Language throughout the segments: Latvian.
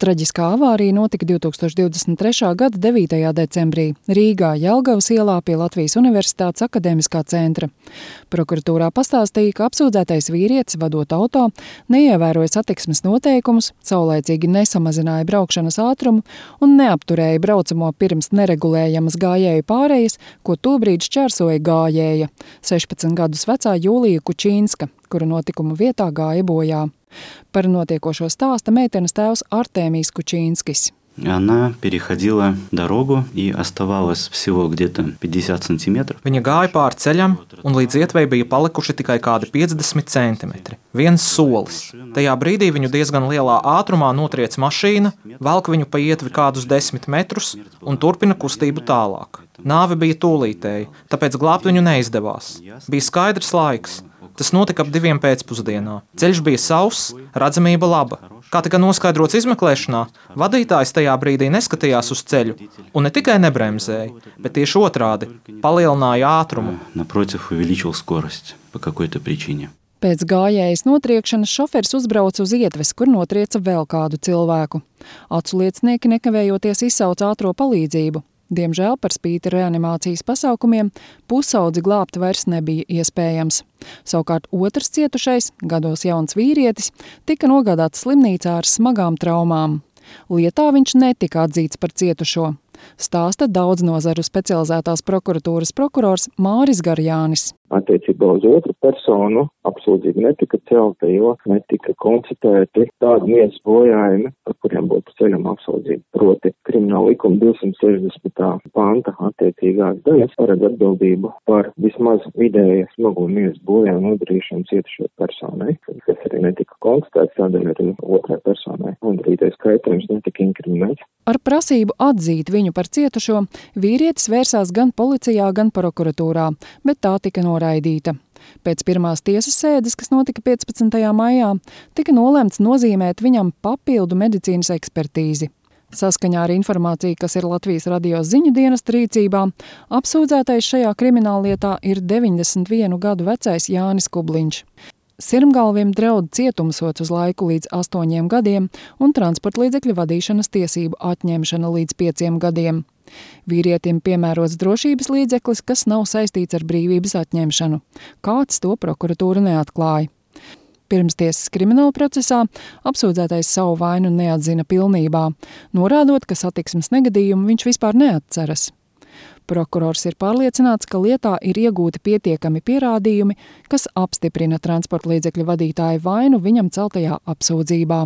Traģiskā avārija notika 2023. gada 9. decembrī Rīgā, Jelgavas ielā pie Latvijas Universitātes akadēmiskā centra. Prokuratūrā pastāstīja, ka apsūdzētais vīrietis, vadot auto, neievēroja satiksmes noteikumus, saulaicīgi nesamazināja braukšanas ātrumu un neapturēja braucamo pirms neregulējamas gājēju pārejas, ko tobrīd šķērsoja gājēja, 16 gadus vecā Jūlija Kučīnska, kura notikuma vietā gāja bojā. Par notiekošo stāsta meitenes tēvs Artēmijs Kučīnskis. Она переходила дорогу и оставалась всего где-то 50 сантиметров. Viņa gāja pāri ceļam, un līdz ietvei bija palikuši tikai kādi 50 centimetri. Viens solis. Tajā brīdī viņu diezgan lielā ātrumā notriec mašīna, velk viņu pa ietvi kādus 10 metrus un turpina kustību tālāk. Nāve bija tūlītēji, tāpēc glābt viņu neizdevās. Bija skaidrs laiks. Tas notika ap 2 pēcpusdienā. Ceļš bija sauss, redzamība laba. Kā tika noskaidrots izmeklēšanā, vadītājs tajā brīdī neskatījās uz ceļu un ne tikai nebremzēja, bet tieši otrādi – palielināja ātrumu. Pēc gājējas notriekšanas šoferis uzbrauca uz ietves, kur notrieca vēl kādu cilvēku. Aculiecinieki nekavējoties izsauca ātro palīdzību. Diemžēl par spīti reanimācijas pasākumiem pusaudzi glābt vairs nebija iespējams. Savukārt otrs cietušais, gados jauns vīrietis, tika nogādāts slimnīcā ar smagām traumām. Lietā viņš netika atzīts par cietušo. Stāsta daudznazaru specializētās prokuratūras prokurors Māris Garjānis. Attiecībā uz otru personu apsūdzība netika celta, jo netika konstatēti tādi miesas bojājumi, par kuriem būtu ceļama apsūdzība. Proti, krimināla likuma 260. panta attiecīgās daļas paredz atbildību par vismaz vidēja smago miesas bojājumu nodarīšanu cietušajai personai, kas arī netika konstatēts, tādēļ arī otrai personai nodarītais kaitējums netika inkriminēts. Ar prasību atzīt viņu par cietušo vīrietis vērsās gan policijā, gan prokuratūrā, bet tā tika noraidīta. Pēc pirmās tiesas sēdes, kas notika 15. maijā, tika nolemts nozīmēt viņam papildu medicīnas ekspertīzi. Saskaņā ar informāciju, kas ir Latvijas radio ziņu dienesta rīcībā, apsūdzētais šajā krimināllietā ir 91 gadu vecais Jānis Kubliņš. Sirmgalvim draud cietumsods uz laiku līdz 8 gadiem un transportlīdzekļu vadīšanas tiesību atņemšana līdz 5 gadiem. Vīrietim piemērots drošības līdzeklis, kas nav saistīts ar brīvības atņemšanu. Kāds to prokuratūra neatklāja. Pirmstiesas krimināla procesā apsūdzētais savu vainu neatzina pilnībā, norādot, ka satiksmes negadījumu viņš vispār neatceras. Prokurors ir pārliecināts, ka lietā ir iegūti pietiekami pierādījumi, kas apstiprina transportlīdzekļu vadītāju vainu viņam celtajā apsūdzībā.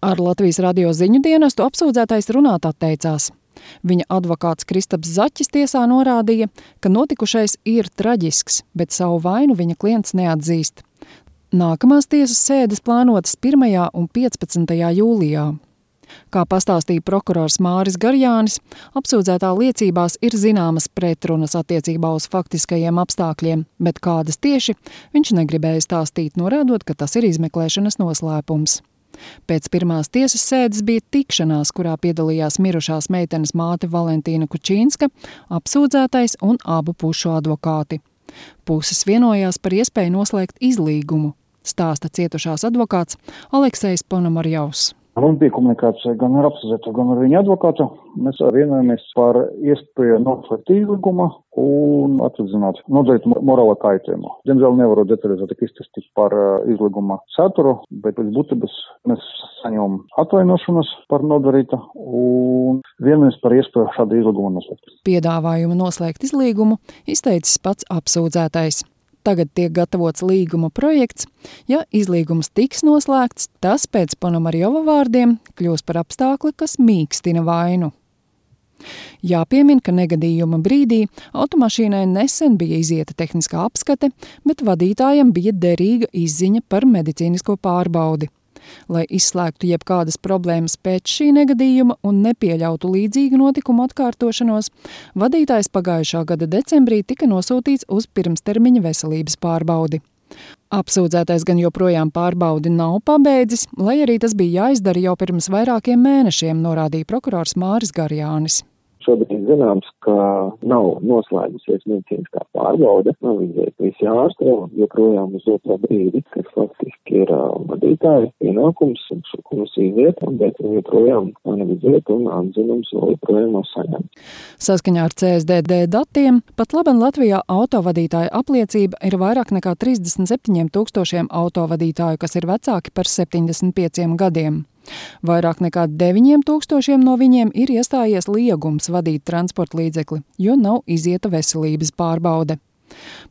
Ar Latvijas radio ziņu dienestu apsūdzētais runāt atteicās. Viņa advokāts Kristaps Zaķis tiesā norādīja, ka notikušais ir traģisks, bet savu vainu viņa klients neatzīst. Nākamās tiesas sēdes plānotas 1. un 15. jūlijā. Kā pastāstīja prokurors Māris Garjānis, apsūdzētā liecībās ir zināmas pretrunas attiecībā uz faktiskajiem apstākļiem, bet kādas tieši viņš negribēja stāstīt, norādot, ka tas ir izmeklēšanas noslēpums. Pēc pirmās tiesas sēdes bija tikšanās, kurā piedalījās mirušās meitenes māte Valentīna Kučīnska, apsūdzētais un abu pušu advokāti. Puses vienojās par iespēju noslēgt izlīgumu, stāsta cietušās advokāts Aleksejs Ponomarjovs. Mums bija komunikācija gan ar apsūdzēto, gan ar viņa advokātu. Mēs vienojamies par iespēju noslēgt izlīgumu un atvedzināt nodarīt morāla kaitējumu. Diemžēl nevaru detalizēti izstāstīt par izlīguma saturu, bet pēc būtības mēs saņemam atvainošanas par nodarītu un vienojamies par iespēju šādu izlīgumu noslēgt. Piedāvājumu noslēgt izlīgumu izteicis pats apsūdzētais. Tagad tiek gatavots līguma projekts. Ja izlīgums tiks noslēgts, tas pēc Ponomarjova vārdiem kļūs par apstākli, kas mīkstina vainu. Jāpiemin, ka negadījuma brīdī automašīnai nesen bija izieta tehniskā apskate, bet vadītājam bija derīga izziņa par medicīnisko pārbaudi. Lai izslēgtu jebkādas problēmas pēc šī negadījuma un nepieļautu līdzīgu notikumu atkārtošanos, vadītājs pagājušā gada decembrī tika nosūtīts uz pirmstermiņa veselības pārbaudi. Apsūdzētais gan joprojām pārbaudi nav pabeidzis, lai arī tas bija jāizdara jau pirms vairākiem mēnešiem, norādīja prokurors Māris Garjānis. Šobrīd zināms, ka nav noslēgusies medicīniskā pārbaude, nav izdevies visi ārsti, joprojām uz otro brīdi, kas faktiski ir vadītāja pienākums un šo komisiju vieta, bet joprojām nav izdevies un atzinums vēl joprojām nav saņemts. Saskaņā ar CSDD datiem, pat laban Latvijā autovadītāja apliecība ir vairāk nekā 37 000 autovadītāju, kas ir vecāki par 75 gadiem. Vairāk nekā 9 000 no viņiem ir iestājies liegums vadīt transporta līdzekli, jo nav izieta veselības pārbaude.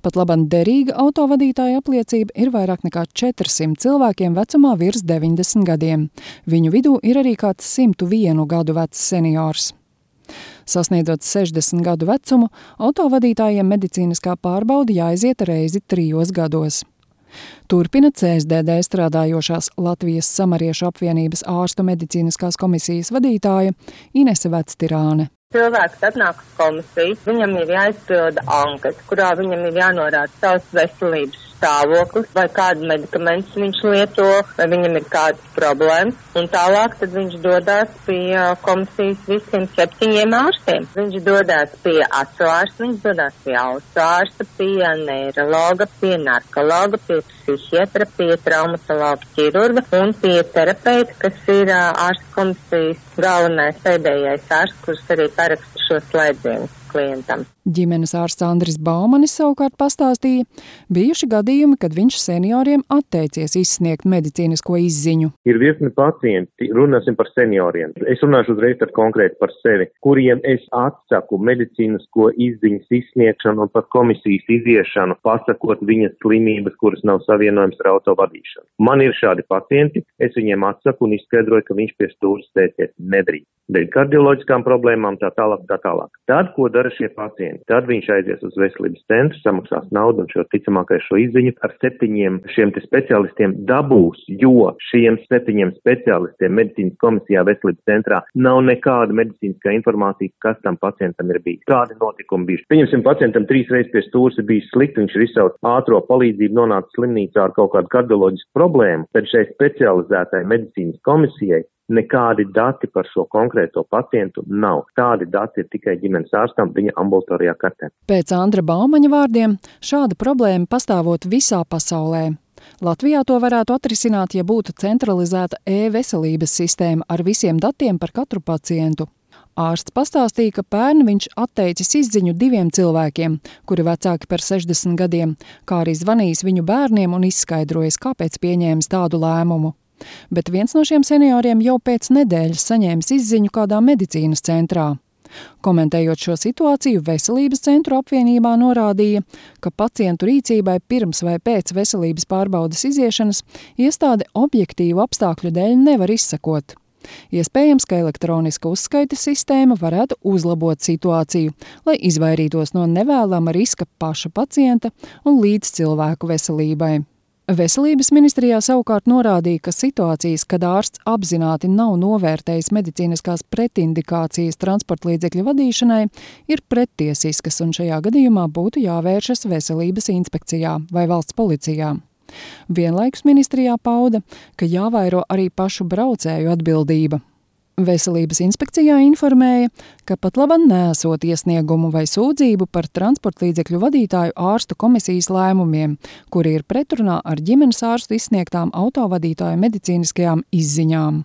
Pat laban derīga autovadītāja apliecība ir vairāk nekā 400 cilvēkiem vecumā virs 90 gadiem. Viņu vidū ir arī kāds 101 gadu vecs seniors. Sasniedzot 60 gadu vecumu, autovadītājiem medicīniskā pārbaude jāiziet reizi 3 gados. Turpina CSDD strādājošās Latvijas Samariešu apvienības ārstu medicīniskās komisijas vadītāja Inese Vectirāne. Cilvēks atnāk uz komisiju, viņam ir jāizpilda anketa, kurā viņam ir jānorāda savs veselības stāvoklis, vai kādu medikamentus viņš lieto, vai viņam ir kādas problēmas, un tālāk tad viņš dodās pie komisijas visiem 7 ārstiem. Viņš dodās pie acu ārsta, viņš dodās pie ausu ārsta, pie neirologa, pie narkologa, pie psihiatra, pie traumatologa ķirurga un pie terapeita, kas ir ārsta komisijas galvenais pēdējais ārsts, kurš arī paraksta šo slēdzienu klientam. Ģimenes ārsts Andris Baumanis savukārt pastāstīja, bijuši gadījumi, kad viņš senioriem atteicies izsniegt medicīnisko izziņu. Ir virkni pacienti, runāsim par senioriem. Es runāšu uzreiz konkrēti par sevi, kuriem es atsaku medicīnisko izziņas izsniegšanu un pat komisijas iziešanu, pasakot viņas slimības, kuras nav savienojams ar autovadīšanu. Man ir šādi pacienti, es viņiem atsaku un izskaidroju, ka viņš pie stūres sēties nedrīkst. Dēļ kardioloģiskām problēmām tā tālāk. Tad, ko dara šie pacienti? Tad viņš aizies uz veselības centru, samaksās naudu un ticamākais šo izziņu ar 7 šiem speciālistiem dabūs, jo šiem 7 speciālistiem medicīnas komisijā veselības centrā nav nekāda medicīniskā informācija, kas tam pacientam ir bijis. Kādi notikumi bijuši? Pieņemsim, pacientam 3 reizes pie stūres ir bijis slikti, viņš ir izsaucis ātro palīdzību, nonāca slimnīcā ar kaut kādu kardioloģisku problēmu, tad šai specializētai medicīnas komisijai nekādi dati par šo konkrēto pacientu nav. Tādi dati ir tikai ģimenes ārstam viņa ambulatorijā kartē. Pēc Andra Baumaņa vārdiem, šāda problēma pastāvot visā pasaulē. Latvijā to varētu atrisināt, ja būtu centralizēta e-veselības sistēma ar visiem datiem par katru pacientu. Ārsts pastāstīja, ka pērn viņš atteicis izziņu 2 cilvēkiem, kuri vecāki par 60 gadiem, kā arī zvanījis viņu bērniem un izskaidrojis, kāpēc pieņēmis tādu lēmumu. Bet viens no šiem senioriem jau pēc nedēļas saņēmis izziņu kādā medicīnas centrā. Komentējot šo situāciju, Veselības centru apvienībā norādīja, ka pacientu rīcībai pirms vai pēc veselības pārbaudes iziešanas iestāde objektīvu apstākļu dēļ nevar izsekot. Iespējams, ka elektroniska uzskaites sistēma varētu uzlabot situāciju, lai izvairītos no nevēlama riska paša pacienta un līdzcilvēku veselībai. Veselības ministrijā savukārt norādīja, ka situācijas, kad ārsts apzināti nav novērtējis medicīniskās pretindikācijas transporta līdzekļu vadīšanai, ir prettiesiskas un šajā gadījumā būtu jāvēršas veselības inspekcijā vai valsts policijā. Vienlaikus ministrijā pauda, ka jāvairo arī pašu braucēju atbildība. Veselības inspekcijā informēja, ka pat laban neesot iesniegumu vai sūdzību par transporta līdzekļu vadītāju ārstu komisijas lēmumiem, kuri ir pretrunā ar ģimenes ārstu izsniegtām autovadītāju medicīniskajām izziņām.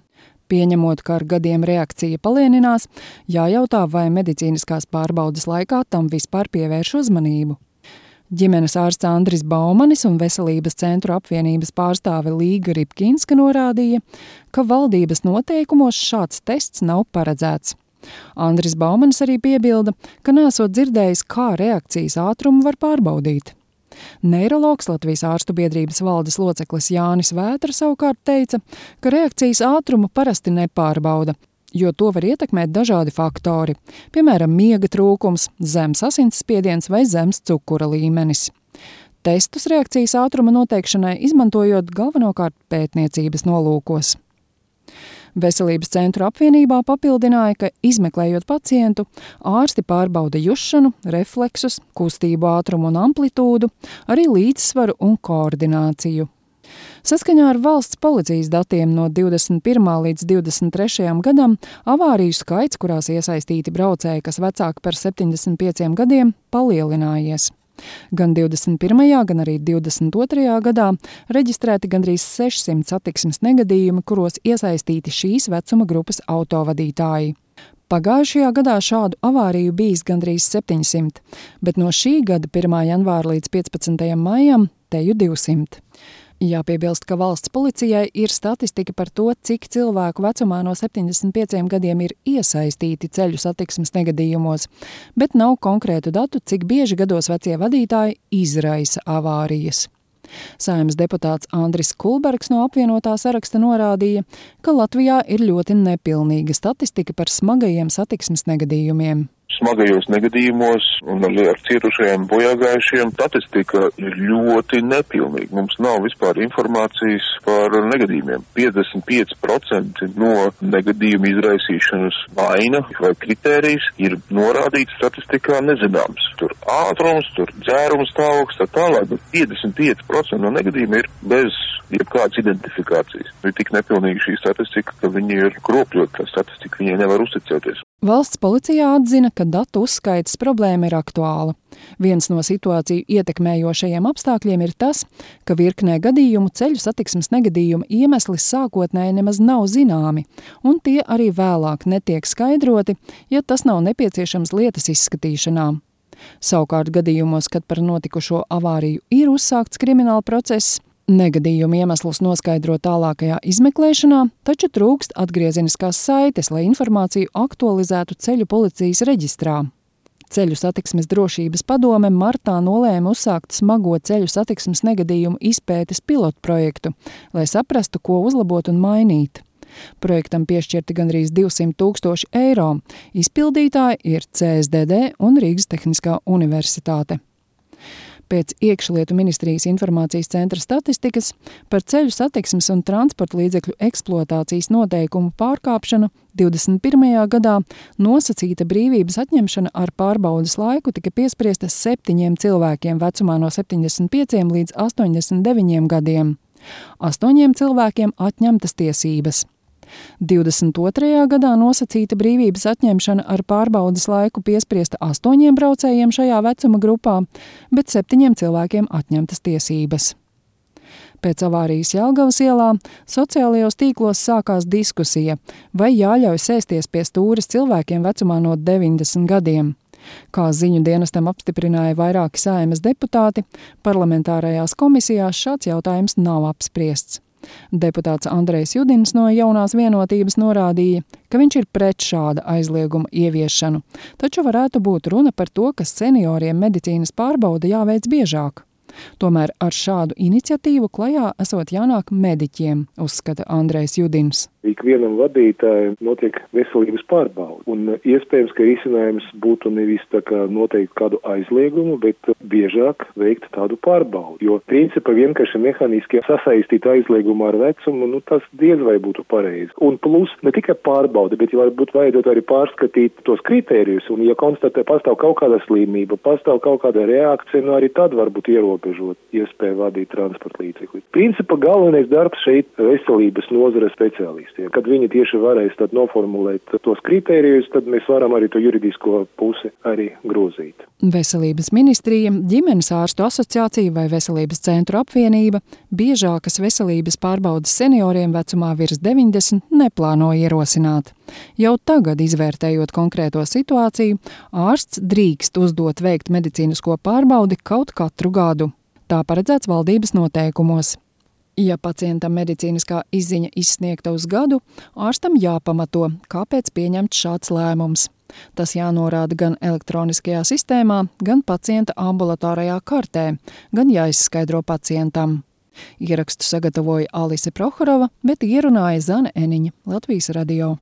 Pieņemot, ka ar gadiem reakcija palēninās, jājautā, vai medicīniskās pārbaudes laikā tam vispār pievērš uzmanību. Ģimenes ārsts Andris Baumanis un Veselības centru apvienības pārstāve Līga Ripkinska norādīja, ka valdības noteikumos šāds tests nav paredzēts. Andris Baumanis arī piebilda, ka nesot dzirdējis, kā reakcijas ātrumu var pārbaudīt. Neirologs Latvijas ārstu biedrības valdes loceklis Jānis Vētra savukārt teica, ka reakcijas ātrumu parasti nepārbauda, jo to var ietekmēt dažādi faktori, piemēram, miega trūkums, zems asinsspiediens vai zems cukura līmenis. Testus reakcijas ātruma noteikšanai izmantojot galvenokārt pētniecības nolūkos. Veselības centru apvienībā papildināja, ka izmeklējot pacientu, ārsti pārbauda jušanu, refleksus, kustību ātrumu un amplitūdu, arī līdzsvaru un koordināciju. Saskaņā ar valsts policijas datiem no 21. līdz 23. gadam avāriju skaits, kurās iesaistīti braucēji, kas vecāki par 75 gadiem, palielinājies. Gan 21. gan arī 22. gadā reģistrēti gandrīz 600 satiksmes negadījumi, kuros iesaistīti šīs vecuma grupas autovadītāji. Pagājušajā gadā šādu avāriju bijis gandrīz 700, bet no šī gada 1. janvāra līdz 15. maijam teju 200. Jāpiebilst, ka valsts policijai ir statistika par to, cik cilvēku vecumā no 75 gadiem ir iesaistīti ceļu satiksmes negadījumos, bet nav konkrētu datu, cik bieži gados vecie vadītāji izraisa avārijas. Saeimas deputāts Andris Kulbergs no apvienotā saraksta norādīja, ka Latvijā ir ļoti nepilnīga statistika par smagajiem satiksmes negadījumiem. Smagajos negadījumos un ar cietušajiem bojāgājušiem statistika ir ļoti nepilnīga. Mums nav vispār informācijas par negadījumiem. 55% no negadījumu izraisīšanas vaina vai kritērijas ir norādīts statistikā nezināms. Tur ātrums, tur dzēruma stāvoklis, tā tālāk, bet 55% no negadījumiem ir bez jebkādas identifikācijas. Ir tik nepilnīga šī statistika, ka viņi ir kropļota statistika, viņai nevar uzticēties. Valsts policijā atzina, ka datu uzskaites problēma ir aktuāla. Viens no situāciju ietekmējošajiem apstākļiem ir tas, ka virknē gadījumu ceļu satiksmes negadījuma iemesli sākotnēji nemaz nav zināmi, un tie arī vēlāk netiek skaidroti, ja tas nav nepieciešams lietas izskatīšanā. Savukārt gadījumos, kad par notikušo avāriju ir uzsākts krimināla process, negadījumu iemeslus noskaidro tālākajā izmeklēšanā, taču trūkst atgriezeniskās saites, lai informāciju aktualizētu ceļu policijas reģistrā. Ceļu satiksmes drošības padome martā nolēma uzsākt smago ceļu satiksmes negadījumu izpētes pilotprojektu, lai saprastu, ko uzlabot un mainīt. Projektam piešķirti gandrīz 200 000 eiro. Izpildītāji ir CSDD un Rīgas Tehniskā universitāte. Pēc iekšlietu ministrijas informācijas centra statistikas par ceļu satiksmes un transporta līdzekļu eksploatācijas noteikumu pārkāpšanu 21. gadā nosacīta brīvības atņemšana ar pārbaudes laiku tika piespriesta 7 cilvēkiem vecumā no 75 līdz 89 gadiem. 8 cilvēkiem atņemtas tiesības. 22. gadā nosacīta brīvības atņemšana ar pārbaudes laiku piespriesta 8 braucējiem šajā vecuma grupā, bet 7 cilvēkiem atņemtas tiesības. Pēc avārijas Jelgavas ielā sociālajos tīklos sākās diskusija, vai jāļauj sēsties pie stūres cilvēkiem vecumā no 90 gadiem. Kā ziņu dienestam apstiprināja vairāki Saeimas deputāti, parlamentārajās komisijās šāds jautājums nav apspriests. Deputāts Andrejs Judins no Jaunās vienotības norādīja, ka viņš ir pret šāda aizlieguma ieviešanu, taču varētu būt runa par to, ka senioriem medicīnas pārbaude jāveic biežāk. Tomēr ar šādu iniciatīvu klajā esot jānāk mediķiem, uzskata Andrejs Judins. Ikvienam vadītājam notiek veselības pārbaude, un iespējams, ka risinājums būtu nevis tā kā noteikt kādu aizliegumu, bet biežāk veikt tādu pārbaudi, jo principā vienkārši mehāniski sasaistīt aizliegumu ar vecumu, tas diez vai būtu pareizi. Un plus ne tikai pārbaude, bet varbūt vajadzētu arī pārskatīt tos kritērijus, un ja konstatē pastāv kaut kāda slimība, pastāv kaut kāda reakcija, arī tad varbūt ierobežot iespēju vadīt transporta līdzekli. Principā galvenais darbs šeit veselības nozare speciālisti. Kad viņi tieši varēs tad noformulēt tos kritērijus, tad mēs varam arī to juridisko pusi arī grozīt. Veselības ministrija, ģimenes ārstu asociācija vai veselības centru apvienība biežākas veselības pārbaudas senioriem vecumā virs 90 neplāno ierosināt. Jau tagad, izvērtējot konkrēto situāciju, ārsts drīkst uzdot veikt medicīnisko pārbaudi kaut katru gadu. Tā paredzēts valdības noteikumos. Ja pacientam medicīniskā izziņa izsniegta uz gadu, ārstam jāpamato, kāpēc pieņemts šāds lēmums. Tas jānorāda gan elektroniskajā sistēmā, gan pacienta ambulatārajā kartē, gan jāizskaidro pacientam. Ierakstu sagatavoja Alise Prohorova, bet ierunāja Zane Eniņa, Latvijas radio.